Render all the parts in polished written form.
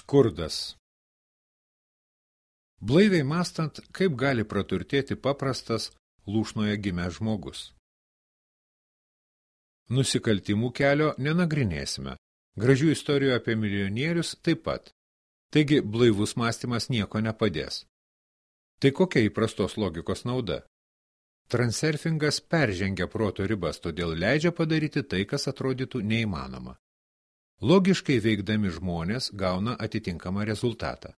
Skurdas. Blaiviai mąstant, kaip gali praturtėti paprastas lūšnoje gimęs žmogus. Nusikaltimų kelio nenagrinėsime. Gražių istorijų apie milijonierius taip pat. Taigi blaivus mąstymas nieko nepadės. Tai kokia įprastos logikos nauda? Transurfingas peržengia proto ribas, todėl leidžia padaryti tai, kas atrodytų neįmanoma. Logiškai veikdami žmonės gauna atitinkamą rezultatą.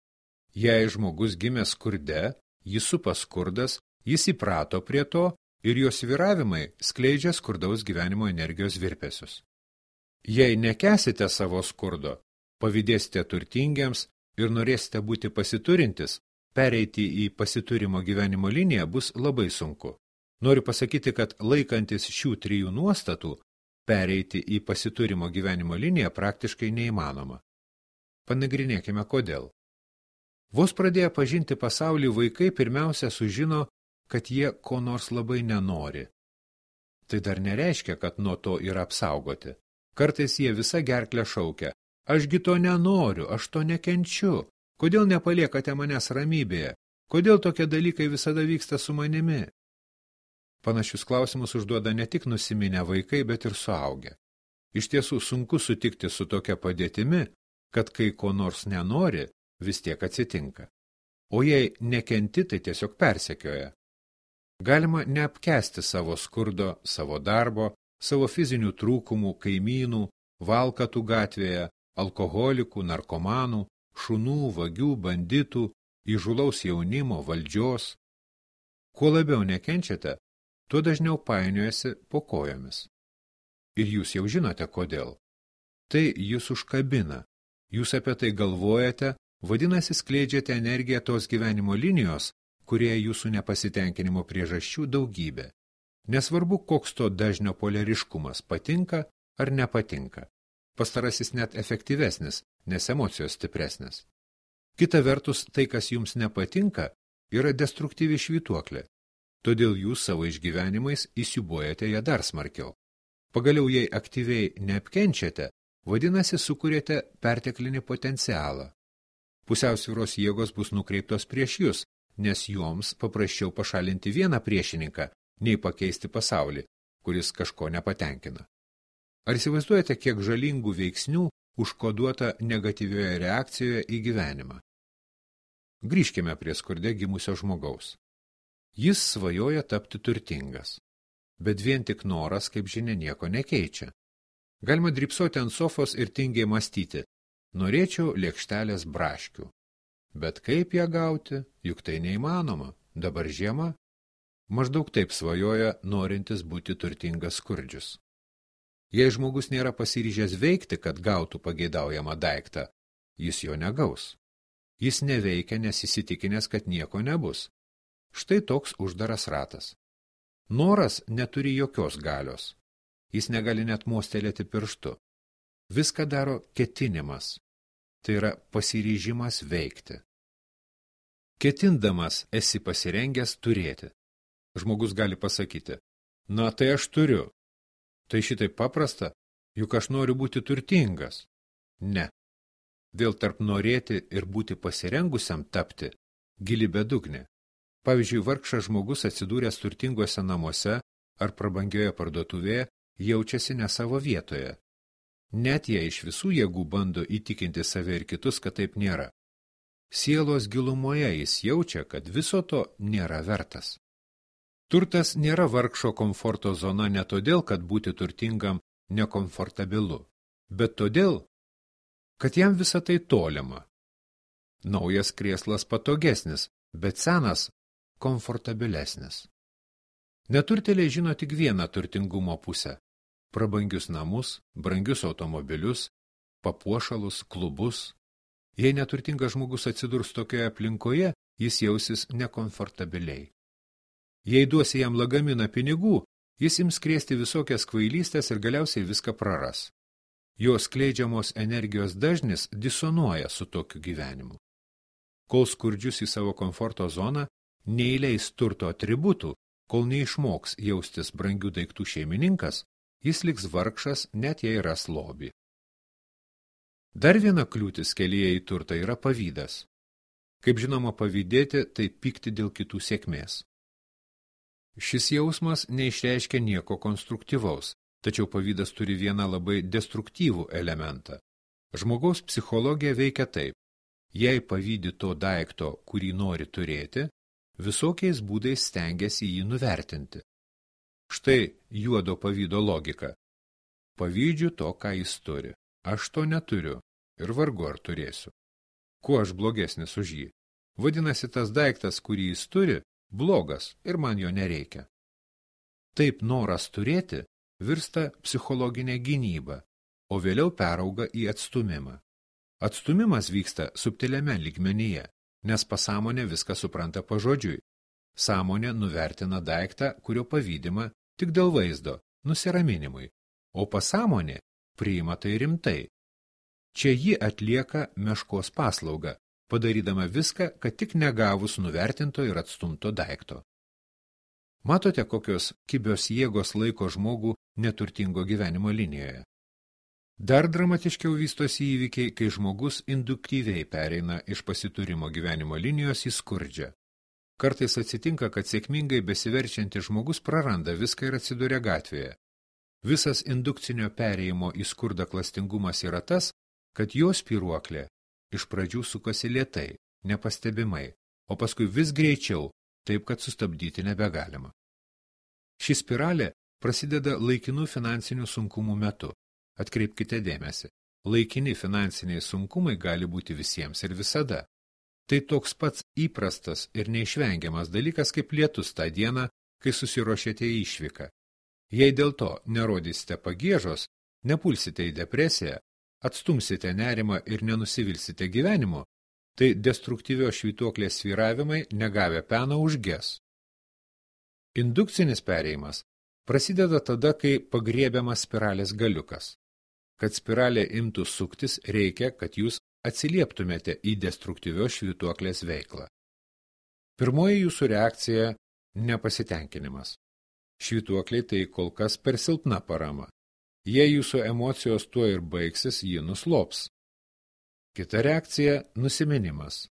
Jei žmogus gimė skurde, jis supa skurdas, jis įprato prie to ir jo svyravimai skleidžia skurdaus gyvenimo energijos virpesius. Jei nekęsite savo skurdo, pavydėsite turtingiems ir norėsite būti pasiturintis, pereiti į pasiturimo gyvenimo liniją bus labai sunku. Noriu pasakyti, kad laikantis šių trijų nuostatų, pereiti į pasiturimo gyvenimo liniją praktiškai neįmanoma. Panagrinėkime kodėl. Vos pradėję pažinti pasaulį, vaikai pirmiausia sužino, kad jie ko nors labai nenori. Tai dar nereiškia, kad nuo to yra apsaugoti. Kartais jie visa gerklę šaukia: ašgi to nenoriu, aš to nekenčiu. Kodėl nepaliekate manęs ramybėje? Kodėl tokie dalykai visada vyksta su manimi? Panašius klausimus užduoda ne tik nusiminę vaikai, bet ir suaugę. Iš tiesų sunku sutikti su tokia padėtimi, kad kai ko nors nenori, vis tiek atsitinka. O jei nekenti, tai tiesiog persekioja. Galima neapkęsti savo skurdo, savo darbo, savo fizinių trūkumų, kaimynų, valkatų gatvėje, alkoholikų, narkomanų, šunų, vagių, banditų, įžūlaus jaunimo, valdžios. Kuo labiau nekenčiate, tuo dažniau painiojasi po kojomis. Ir jūs jau žinote, kodėl. Tai jūs užkabina. Jūs apie tai galvojate, vadinasi skleidžiate energiją tos gyvenimo linijos, kurie jūsų nepasitenkinimo priežasčių daugybė. Nesvarbu, koks to dažnio poleriškumas, patinka ar nepatinka. Pastarasis net efektyvesnis, nes emocijos stipresnės. Kita vertus, tai, kas jums nepatinka, yra destruktyvi švytuoklė. Todėl jūs savo išgyvenimais įsiūbuojate ją dar smarkiau. Pagaliau, jei aktyviai neapkenčiate, vadinasi, sukūrėte perteklinį potencialą. Pusiausvyros jėgos bus nukreiptos prieš jūs, nes joms paprasčiau pašalinti vieną priešininką, nei pakeisti pasaulį, kuris kažko nepatenkina. Ar įsivaizduojate, kiek žalingų veiksnių užkoduota negatyvioje reakcijoje į gyvenimą? Grįžkime prie skurde gimusio žmogaus. Jis svajoja tapti turtingas, bet vien tik noras, kaip žinia, nieko nekeičia. Galima drybsoti ant sofos ir tingiai mąstyti: norėčiau lėkštelės braškių. Bet kaip ją gauti, juk tai neįmanoma, dabar žiema. Maždaug taip svajoja norintis būti turtingas skurdžius. Jei žmogus nėra pasiryžęs veikti, kad gautų pageidaujamą daiktą, jis jo negaus. Jis neveikia, nes įsitikinęs, kad nieko nebus. Štai toks uždaras ratas. Noras neturi jokios galios. Jis negali net mostelėti pirštu. Viską daro ketinimas. Tai yra pasiryžimas veikti. Ketindamas esi pasirengęs turėti. Žmogus gali pasakyti: na tai aš turiu. Tai šitai paprasta, juk aš noriu būti turtingas. Ne. Vėl tarp norėti ir būti pasirengusiam tapti gili bedugnė. Pavyzdžiui, vargšas žmogus atsidūręs turtinguose namuose ar prabangioje parduotuvėje jaučiasi ne savo vietoje. Net jei iš visų jėgų bando įtikinti save ir kitus, kad taip nėra. Sielos gilumoje jis jaučia, kad viso to nėra vertas. Turtas nėra vargšo komforto zona ne todėl, kad būti turtingam nekomfortabilu, bet todėl, kad jam visa tai tolima. Naujas krėslas patogesnis, bet senas komfortabilesnis. Neturtėliai žino tik vieną turtingumo pusę – prabangius namus, brangius automobilius, papuošalus, klubus. Jei neturtingas žmogus atsidurs tokioje aplinkoje, jis jausis nekomfortabiliai. Jei duosi jam lagaminą pinigų, jis ims krėsti visokias kvailystės ir galiausiai viską praras. Jo skleidžiamos energijos dažnis disonuoja su tokiu gyvenimu. Kol skurdžius į savo komforto zoną neįleis turto atributų, kol neišmoks jaustis brangių daiktų šeimininkas, jis liks vargšas, net jei ras lobį. Dar viena kliūtis kelyje į turtą yra pavydas. Kaip žinoma, pavydėti tai pykti dėl kitų sėkmės. Šis jausmas neišreiškia nieko konstruktyvaus, tačiau pavydas turi vieną labai destruktyvų elementą. Žmogaus psichologija veikia taip. Jei pavydi to daikto, kurį nori turėti, visokiais būdais stengiasi jį nuvertinti. Štai juodo pavydo logika. Pavydžiu to, ką jis turi. Aš to neturiu ir vargu ar turėsiu. Kuo aš blogesnis už jį? Vadinasi, tas daiktas, kurį jis turi, blogas ir man jo nereikia. Taip noras turėti virsta psichologinė gynyba, o vėliau perauga į atstūmimą. Atstūmimas vyksta subtiliame lygmenyje, nes pasąmonė viską supranta pažodžiui. Sąmonė nuvertina daiktą, kurio pavydima tik dėl vaizdo, nusiraminimui, o pasąmonė priima tai rimtai. Čia ji atlieka meškos paslaugą, padarydama viską, kad tik negavus nuvertinto ir atstumto daikto. Matote, kokios kibios jėgos laiko žmogų neturtingo gyvenimo linijoje. Dar dramatiškiau vystosi įvykiai, kai žmogus induktyviai pereina iš pasiturimo gyvenimo linijos į skurdžią. Kartais atsitinka, kad sėkmingai besiverčiantis žmogus praranda viską ir atsiduria gatvėje. Visas indukcinio perėjimo į skurdą klastingumas yra tas, kad jo spyruoklė iš pradžių sukasi lėtai, nepastebimai, o paskui vis greičiau, taip kad sustabdyti nebegalima. Ši spiralė prasideda laikinų finansinių sunkumų metu. Atkreipkite dėmesį, laikini finansiniai sunkumai gali būti visiems ir visada. Tai toks pats įprastas ir neišvengiamas dalykas kaip lietus tą dieną, kai susiruošėte į išvyką. Jei dėl to nerodysite pagiežos, nepulsite į depresiją, atstumsite nerimą ir nenusivilsite gyvenimu, tai destruktyvios švytuoklės svyravimai negavę peno užges. Indukcinis perėjimas prasideda tada, kai pagriebiamas spiralės galiukas. Kad spiralė imtų suktis, reikia, kad jūs atsilieptumėte į destruktyvios švytuoklės veiklą. Pirmoji jūsų reakcija – nepasitenkinimas. Švytuokliai tai kol kas per silpna parama. Jei jūsų emocijos tuo ir baigsis, ji nuslops. Kita reakcija – nusiminimas.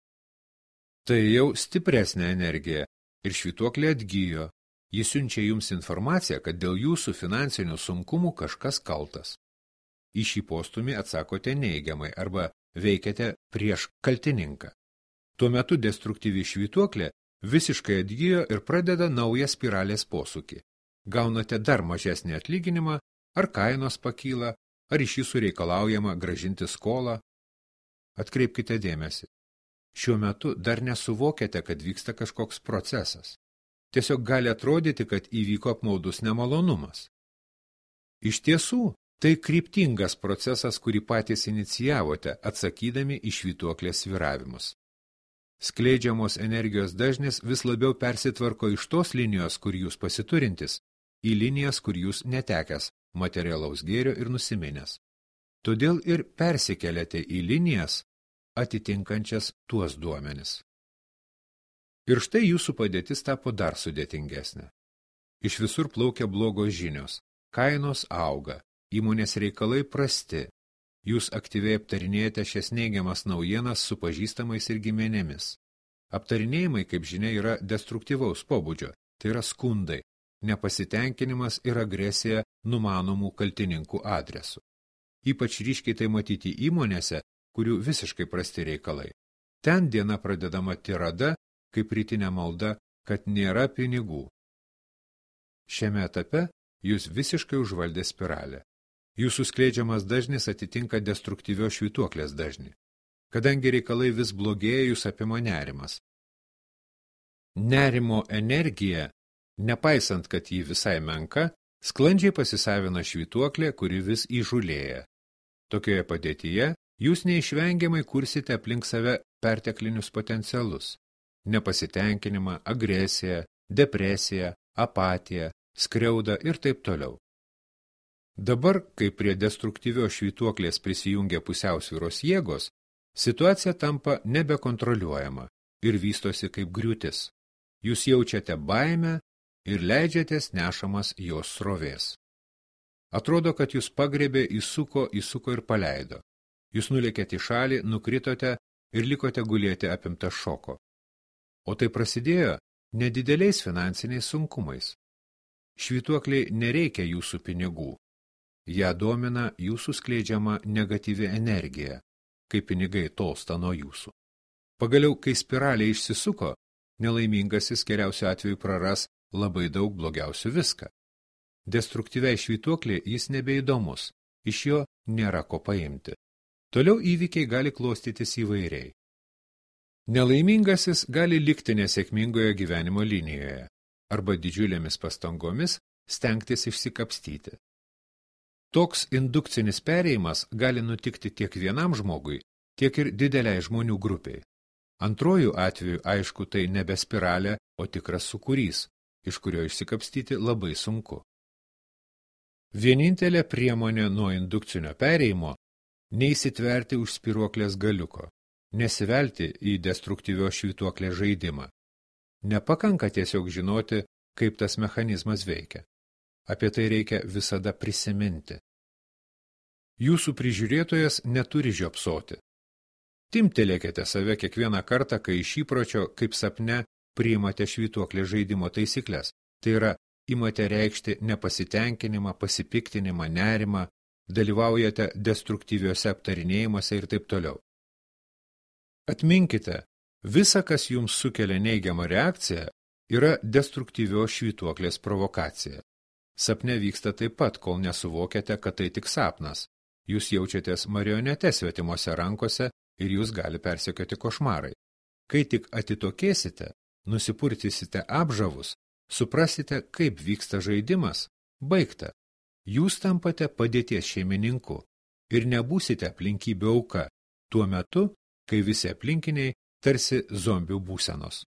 Tai jau stipresnė energija ir švytuoklė atgyjo. Jis siunčia jums informaciją, kad dėl jūsų finansinių sunkumų kažkas kaltas. Į šį postumį atsakote neigiamai arba veikiate prieš kaltininką. Tuo metu destruktyvi švytuoklė visiškai atgyjo ir pradeda naują spiralės posūkį. Gaunate dar mažesnį atlyginimą, ar kainos pakyla, ar iš jūsų reikalaujama grąžinti skolą. Atkreipkite dėmesį. Šiuo metu dar nesuvokiate, kad vyksta kažkoks procesas. Tiesiog gali atrodyti, kad įvyko apmaudus nemalonumas. Iš tiesų, tai kryptingas procesas, kurį patys inicijavote, atsakydami į švytuoklės svyravimus. Skleidžiamos energijos dažnis vis labiau persitvarko iš tos linijos, kur jūs pasiturintis, į linijas, kur jūs netekęs materialaus gėrio ir nusiminęs. Todėl ir persikeliate į linijas, atitinkančias tuos duomenis. Ir štai jūsų padėtis tapo dar sudėtingesnė. Iš visur plaukia blogos žinios, kainos auga, įmonės reikalai prasti. Jūs aktyviai aptarinėjate šias neigiamas naujienas su pažįstamais ir giminėmis. Aptarinėjimai, kaip žinia, yra destruktyvaus pobūdžio, tai yra skundai, nepasitenkinimas ir agresija numanomų kaltininkų adresu. Ypač ryškiai tai matyti įmonėse, kurių visiškai prasti reikalai. Ten diena pradedama tirada, kaip rytinė malda, kad nėra pinigų. Šiame etape jūs visiškai užvaldė spiralę. Jūsų skleidžiamas dažnis atitinka destruktyvios švytuoklės dažnį. Kadangi reikalai vis blogėja, jūs apima nerimas. Nerimo energija, nepaisant, kad ji visai menka, sklandžiai pasisavina švytuoklė, kuri vis įžulėja. Tokioje padėtyje jūs neišvengiamai kursite aplink save perteklinius potencialus. Nepasitenkinimą, agresiją, depresiją, apatiją, skriaudą ir taip toliau. Dabar, kai prie destruktyvios švytuoklės prisijungia pusiausvyros jėgos, situacija tampa nebekontroliuojama ir vystosi kaip griūtis. Jūs jaučiate baimę ir leidžiatės nešamas jos srovės. Atrodo, kad jūs pagrebė, įsuko ir paleido. Jūs nulėkėte į šalį, nukritote ir likote gulėti apimta šoko. O tai prasidėjo nedideliais finansiniais sunkumais. Švytuokliai nereikia jūsų pinigų. Ja domina jūsų skleidžiama negatyvi energija, kai pinigai tolsta nuo jūsų. Pagaliau, kai spiralė išsisuko, nelaimingasis geriausiu atveju praras labai daug, blogiausių viską. Destruktyviai švytuoklė jis nebeįdomus, iš jo nėra ko paimti. Toliau įvykiai gali klostytis įvairiai. Nelaimingasis gali likti nesėkmingoje gyvenimo linijoje arba didžiulėmis pastangomis stengtis išsikapstyti. Toks indukcinis perėjimas gali nutikti tiek vienam žmogui, tiek ir dideliai žmonių grupiai. Antrojų atveju, aišku, tai nebe spiralė, o tikras sūkurys, iš kurio išsikapstyti labai sunku. Vienintelė priemonė nuo indukcinio perėjimo – neįsitverti už spiruoklės galiuko, nesivelti į destruktyvios švytuoklės žaidimą. Nepakanka tiesiog žinoti, kaip tas mechanizmas veikia. Apie tai reikia visada prisiminti. Jūsų prižiūrėtojas neturi žiopsoti. Timtelėkite save kiekvieną kartą, kai iš įpročio, kaip sapne, priimate švytuoklės žaidimo taisyklės. Tai yra, imate reikšti nepasitenkinimą, pasipiktinimą, nerimą, dalyvaujate destruktyviuose aptarinėjimuose ir taip toliau. Atminkite, visa, kas jums sukelia neigiamą reakciją, yra destruktyvios švytuoklės provokacija. Sapne vyksta taip pat, kol nesuvokiate, kad tai tik sapnas. Jūs jaučiatės marionete svetimose rankose ir jūs gali persekioti košmarai. Kai tik atitokėsite, nusipurtysite apžavus, suprasite, kaip vyksta žaidimas, baigta. Jūs tampate padėties šeimininku ir nebūsite aplinkybių auka tuo metu, kai visi aplinkiniai tarsi zombių būsenos.